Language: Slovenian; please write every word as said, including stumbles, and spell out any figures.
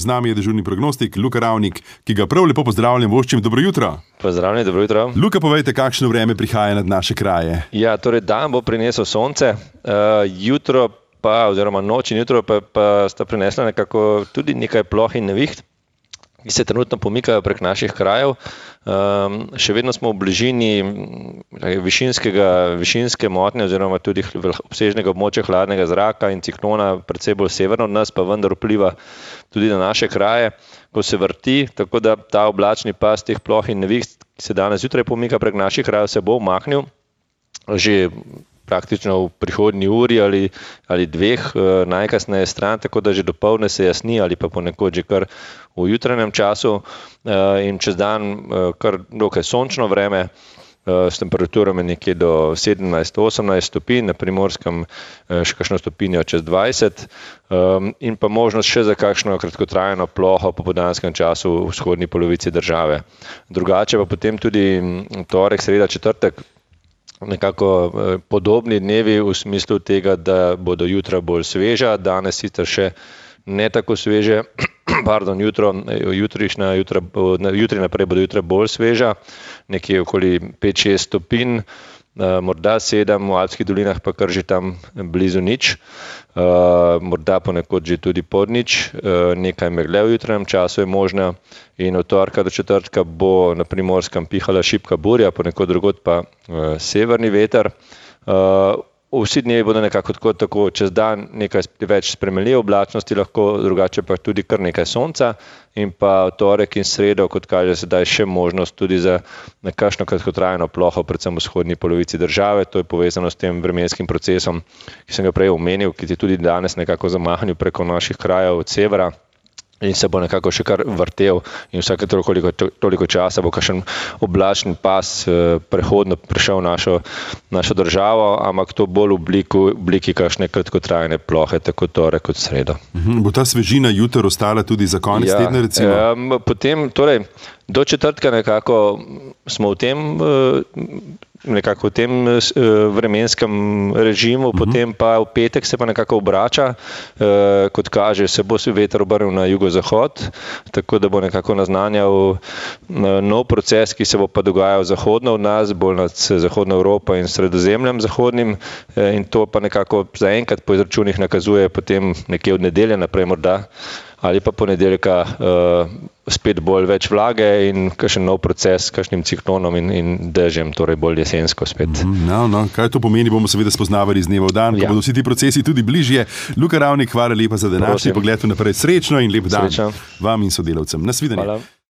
Z nami je dežurni prognostik Luka Ravnik, ki ga prav lepo pozdravljam, voščim dobro jutro. Pozdravljeni, dobro jutro. Luka, povejte, kakšno vreme prihaja nad naše kraje. Ja, torej dan bo prinesel sonce, uh, jutro pa, oziroma noč in jutro pa, pa sta prinesla nekako tudi nekaj ploh in neviht, ki se trenutno pomikajo prek naših krajev. Um, še vedno smo v bližini višinskega, višinske motnje oziroma tudi obsežnega območja hladnega zraka in ciklona precej bolj severno od nas, pa vendar vpliva tudi na naše kraje, ko se vrti, tako da ta oblačni pas teh ploh in neviht, ki se danes jutraj pomika prek naših krajev, se bo umaknil že praktično v prihodnji uri ali, ali dveh najkasneje stran, tako da že dopoldne se jasni ali pa ponekod že kar v jutranjem času in čez dan kar dokaj sončno vreme s temperaturami nekje do sedemnajst do osemnajst stopinj, na Primorskem še kakšno stopinjo čez dvajset in pa možnost še za kakšno kratkotrajno ploho po popoldanskem času v vzhodni polovici države. Drugače pa potem tudi torek, sreda, četrtek nekako podobni dnevi v smislu tega, da bodo jutra bolj sveža, danes sicer še ne tako sveže, pardon, jutro, jutrišnja, jutra, jutri naprej bodo jutra bolj sveža, nekje okoli pet šest stopinj, morda sedem, v Alpskih dolinah pa kar že tam blizu nič, morda ponekod že tudi pod nič, nekaj megle v jutranjem času je možno in od torka do četrtka bo na Primorskem pihala šibka burja, ponekod drugod pa severni veter. Vsi dnevi bodo nekako tako, tako čez dan nekaj več spremenljive oblačnosti, lahko drugače pa tudi kar nekaj sonca in pa torek in sredo, kot kaže sedaj, še možnost tudi za nekakšno kratkotrajno ploho, predvsem v vzhodni polovici države. To je povezano s tem vremenskim procesom, ki sem ga prej omenil, ki je tudi danes nekako zamahnil preko naših krajev od severa in se bo nekako še kar vrtel in vsake toliko, toliko časa bo kakšen oblačni pas prehodno prišel v našo, našo državo, ampak to bolj v obliki, obliki kakšne kratkotrajne plohe, tako torek kot sredo. Mhm, bo ta svežina jutr ostala tudi za konec ja, tedna, recimo? Um, potem, torej, do četrtka nekako smo v tem nekako v tem vremenskem režimu, uh-huh. Potem pa v petek se pa nekako obrača, e, kot kaže, se bo veter obrnil na jugozahod, tako da bo nekako naznanjal nov proces, ki se bo pa dogajal zahodno od nas, bolj nad zahodno Evropo in sredozemljem zahodnim, e, in to pa nekako zaenkrat po izračunih nakazuje potem nekje od nedelje naprej morda, ali pa ponedeljka uh, spet bolj več vlage in kakšen nov proces s kakšnim ciklonom in, in dežjem, torej bolj jesensko spet. No, no, kaj to pomeni, bomo seveda spoznavali z dneva v dan, ja. Ko bodo vsi ti procesi tudi bližje. Luka Ravnik, hvala lepa za današnji pogled naprej. Srečno in lep dan. Srečno vam in sodelavcem. Nasvidenje.